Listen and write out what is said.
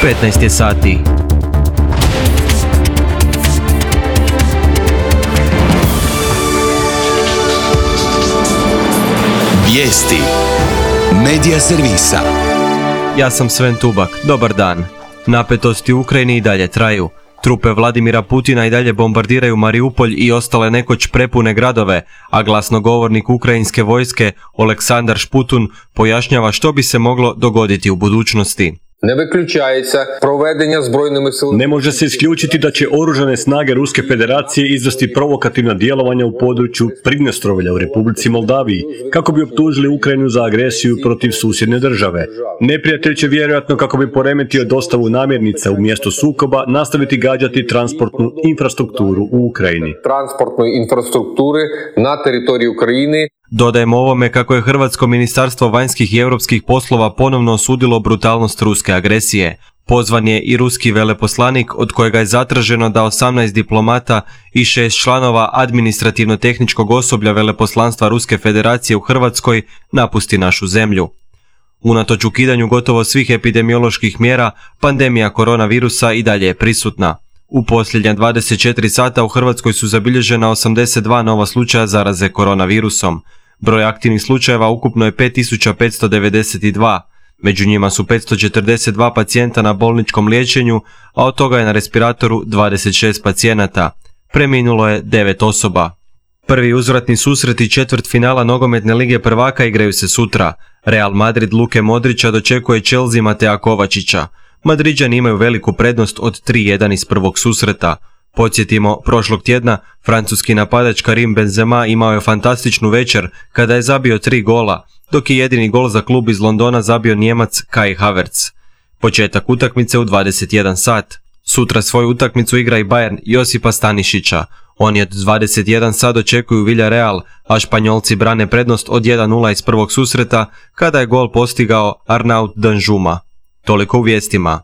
15 je sati. Vijesti Medija servisa. Ja sam Sven Tubak, dobar dan. Napetosti u Ukrajini i dalje traju. Trupe Vladimira Putina i dalje bombardiraju Mariupolj i ostale nekoć prepune gradove, a glasnogovornik ukrajinske vojske Oleksandar Šputun pojašnjava što bi se moglo dogoditi u budućnosti. Ne može se isključiti da će oružane snage Ruske federacije izvesti provokativna djelovanja u području Pridnjestrovlja u Republici Moldaviji, kako bi optužili Ukrajinu za agresiju protiv susjedne države. Neprijatelj će vjerojatno, kako bi poremetio dostavu namirnica u mjesto sukoba, nastaviti gađati transportnu infrastrukturu u Ukrajini. Na teritoriji Ukrajine. Dodajemo ovome kako je Hrvatsko ministarstvo vanjskih i europskih poslova ponovno osudilo brutalnost ruske agresije. Pozvan je i ruski veleposlanik, od kojega je zatraženo da 18 diplomata i 6 članova administrativno-tehničkog osoblja veleposlanstva Ruske federacije u Hrvatskoj napusti našu zemlju. Unatoč ukidanju gotovo svih epidemioloških mjera, pandemija koronavirusa i dalje je prisutna. U posljednja 24 sata u Hrvatskoj su zabilježena 82 nova slučaja zaraze koronavirusom. Broj aktivnih slučajeva ukupno je 5592, među njima su 542 pacijenta na bolničkom liječenju, a od toga je na respiratoru 26 pacijenata. Preminulo je 9 osoba. Prvi uzvratni susreti četvrtfinala nogometne lige prvaka igraju se sutra. Real Madrid Luke Modrića dočekuje Chelsea Matea Kovačića. Madriđani imaju veliku prednost od 3-1 iz prvog susreta. Podsjetimo, prošlog tjedna francuski napadač Karim Benzema imao je fantastičnu večer kada je zabio 3 gola, dok je jedini gol za klub iz Londona zabio Nijemac Kai Havertz. Početak utakmice u 21 sat. Sutra svoju utakmicu igra i Bayern Josipa Stanišića. Oni od 21 sat očekuju Villarreal, a Španjolci brane prednost od 1-0 iz prvog susreta kada je gol postigao Arnaut Danjuma. Toliko u vijestima.